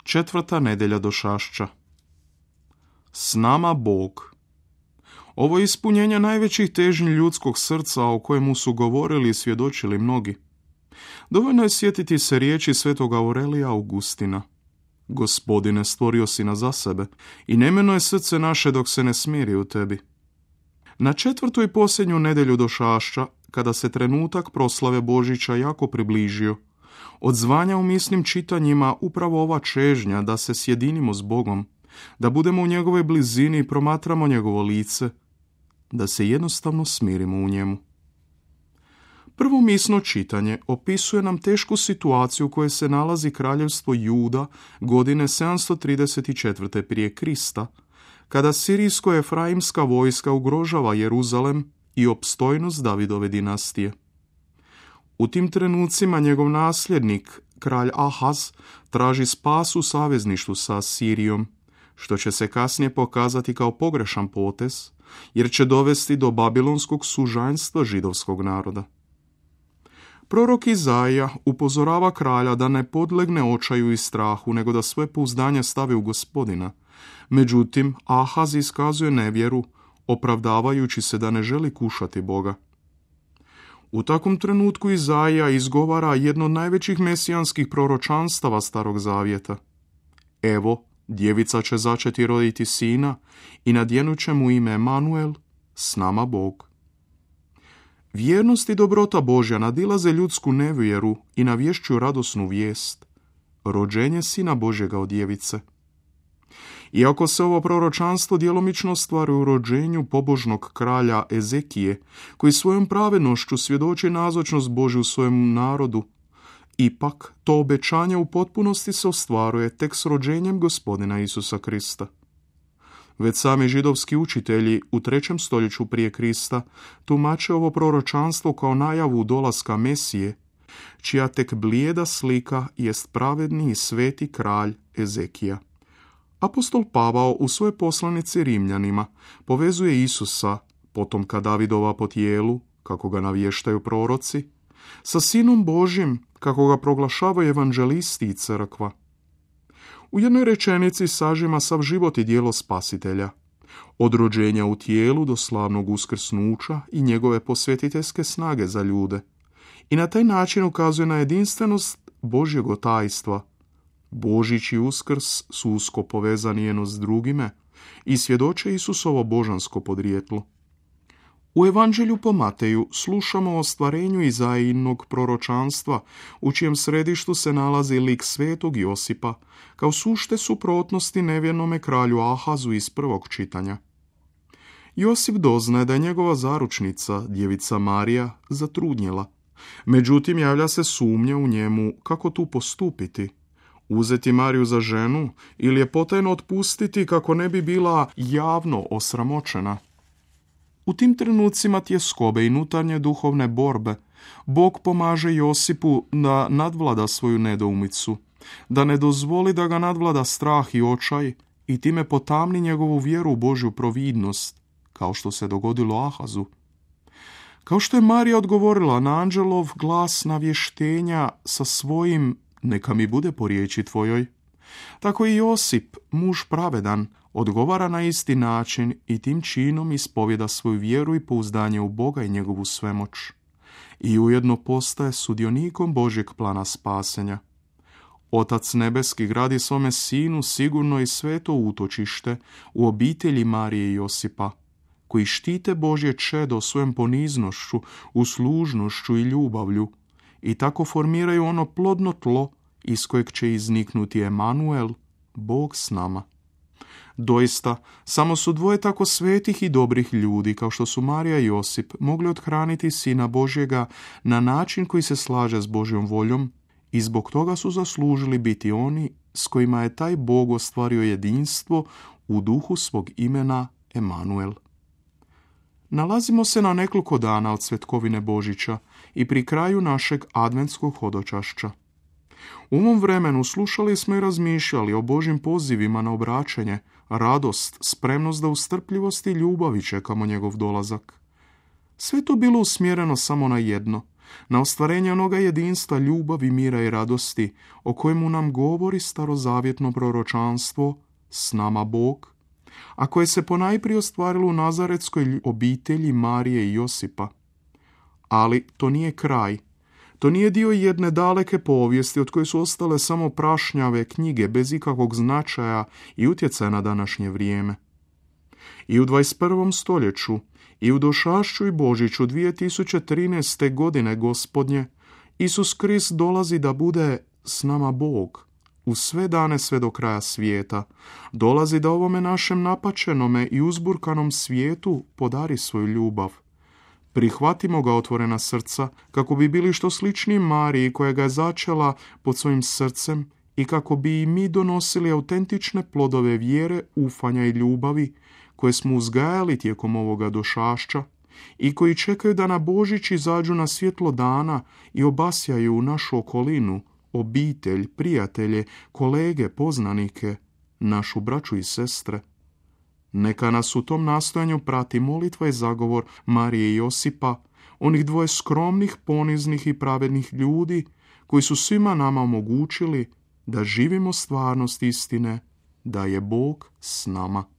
Četvrta nedjelja došašća. S nama Bog. Ovo je ispunjenje najvećih težnji ljudskog srca o kojemu su govorili i svjedočili mnogi. Dovoljno je sjetiti se riječi svetog Aurelija Augustina. Gospodine, stvorio si nas za sebe i nemeno je srce naše dok se ne smiri u tebi. Na četvrtu i posljednju nedjelju došašća, kada se trenutak proslave Božića jako približio, odzvanja u misnim čitanjima upravo ova čežnja da se sjedinimo s Bogom, da budemo u njegovoj blizini i promatramo njegovo lice, da se jednostavno smirimo u njemu. Prvo misno čitanje opisuje nam tešku situaciju u kojoj se nalazi kraljevstvo Juda godine 734. prije Krista, kada sirijsko-efraimska vojska ugrožava Jeruzalem i opstojnost Davidove dinastije. U tim trenucima njegov nasljednik, kralj Ahaz, traži spas u savezništvu sa Sirijom, što će se kasnije pokazati kao pogrešan potez, jer će dovesti do babilonskog sužanjstva židovskog naroda. Prorok Izaija upozorava kralja da ne podlegne očaju i strahu, nego da svoje pouzdanje stavi u Gospodina. Međutim, Ahaz iskazuje nevjeru, opravdavajući se da ne želi kušati Boga. U takvom trenutku Izaija izgovara jedno od najvećih mesijanskih proročanstava Starog Zavjeta. Evo, djevica će začeti i roditi sina i nadjenut će mu ime Emanuel, s nama Bog. Vjernost i dobrota Božja nadilaze ljudsku nevjeru i navješćuju radosnu vijest, rođenje sina Božjega od djevice. Iako se ovo proročanstvo djelomično ostvaruje u rođenju pobožnog kralja Ezekije, koji svojom pravednošću svjedoči nazočnost Božju u svojem narodu, ipak to obećanje u potpunosti se ostvaruje tek s rođenjem Gospodina Isusa Krista. Već sami židovski učitelji u 3. stoljeću prije Krista tumače ovo proročanstvo kao najavu dolaska Mesije, čija tek blijeda slika jest pravedni i sveti kralj Ezekija. Apostol Pavao u svojoj poslanici Rimljanima povezuje Isusa, potomka Davidova po tijelu, kako ga navještaju proroci, sa Sinom Božjim, kako ga proglašavaju evanđelisti i crkva. U jednoj rečenici sažima sav život i djelo Spasitelja, od rođenja u tijelu do slavnog uskrsnuća i njegove posvjetiteljske snage za ljude, i na taj način ukazuje na jedinstvenost Božjeg tajstva. Božić i Uskrs su usko povezani jedno s drugime i svjedoče Isusovo božansko podrijetlo. U Evanđelju po Mateju slušamo o ostvarenju Izaijinog proročanstva, u čijem središtu se nalazi lik svetog Josipa, kao sušte suprotnosti nevjernome kralju Ahazu iz prvog čitanja. Josip doznaje da je njegova zaručnica, djevica Marija, zatrudnjela. Međutim, javlja se sumnja u njemu kako tu postupiti. Uzeti Mariju za ženu ili je potajno otpustiti kako ne bi bila javno osramoćena. U tim trenucima tjeskobe i nutarnje duhovne borbe Bog pomaže Josipu da nadvlada svoju nedoumicu, da ne dozvoli da ga nadvlada strah i očaj i time potamni njegovu vjeru u Božju providnost, kao što se dogodilo Ahazu. Kao što je Marija odgovorila na anđelov glas navještenja sa svojim "neka mi bude po riječi tvojoj", tako i Josip, muž pravedan, odgovara na isti način i tim činom ispovjeda svoju vjeru i pouzdanje u Boga i njegovu svemoć. I ujedno postaje sudionikom Božjeg plana spasenja. Otac nebeski gradi svome sinu sigurno i sveto utočište u obitelji Marije i Josipa, koji štite Božje čedo svojom poniznošću, uslužnošću i ljubavlju i tako formiraju ono plodno tlo iz kojeg će izniknuti Emanuel, Bog s nama. Doista, samo su dvoje tako svetih i dobrih ljudi, kao što su Marija i Josip, mogli othraniti Sina Božjega na način koji se slaže s Božjom voljom i zbog toga su zaslužili biti oni s kojima je taj Bog ostvario jedinstvo u duhu svog imena Emanuel. Nalazimo se na nekoliko dana od svetkovine Božića i pri kraju našeg adventskog hodočašća. U ovom vremenu slušali smo i razmišljali o Božjim pozivima na obraćanje, radost, spremnost da u strpljivosti i ljubavi čekamo njegov dolazak. Sve to bilo usmjereno samo na jedno, na ostvarenje onoga jedinstva ljubavi, mira i radosti o kojemu nam govori starozavjetno proročanstvo "S nama Bog", a koje se ponajprije ostvarilo u nazaretskoj obitelji Marije i Josipa. Ali to nije kraj. To nije dio jedne daleke povijesti od koje su ostale samo prašnjave knjige bez ikakvog značaja i utjecaja na današnje vrijeme. I u 21. stoljeću i u došašću i Božiću 2013. godine Gospodnje, Isus Krist dolazi da bude s nama Bog u sve dane sve do kraja svijeta. Dolazi da ovome našem napačenome i uzburkanom svijetu podari svoju ljubav. Prihvatimo ga otvorena srca kako bi bili što sličniji Mariji koja ga je začela pod svojim srcem i kako bi i mi donosili autentične plodove vjere, ufanja i ljubavi koje smo uzgajali tijekom ovoga došašća i koji čekaju da na Božić izađu na svjetlo dana i obasjaju našu okolinu, obitelj, prijatelje, kolege, poznanike, našu braću i sestre. Neka nas u tom nastojanju prati molitva i zagovor Marije i Josipa, onih dvoje skromnih, poniznih i pravednih ljudi koji su svima nama omogućili da živimo stvarnost istine, da je Bog s nama.